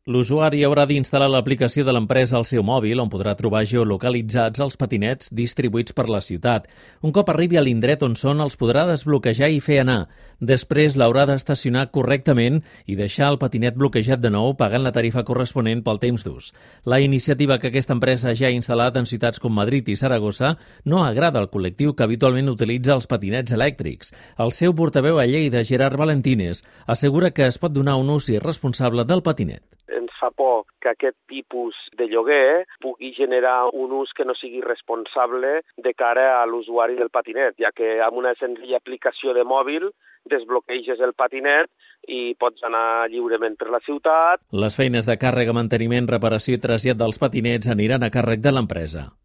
L'usuari haurà d'instal·lar l'aplicació de l'empresa al seu mòbil, on podrà trobar geolocalitzats els patinets distribuïts per la ciutat. Un cop arribi a l'indret on són, els podrà desbloquejar i fer anar. Després l'haurà d'estacionar correctament i deixar el patinet bloquejat de nou, pagant la tarifa corresponent pel temps d'ús. La iniciativa que aquesta empresa ja ha instal·lat en ciutats com Madrid i Saragossa no agrada al col·lectiu que habitualment utilitza els patinets elèctrics. El seu portaveu a Lleida, Gerard Valentines, assegura que es pot donar un ús irresponsable del patinet. Ens fa por que aquest tipus de lloguer pugui generar un ús que no sigui responsable de cara a l'usuari del patinet, ja que amb una senzilla aplicació de mòbil desbloqueges el patinet i pots anar lliurement per la ciutat. Les feines de càrrega, manteniment, reparació i trasllat dels patinets aniran a càrrec de l'empresa.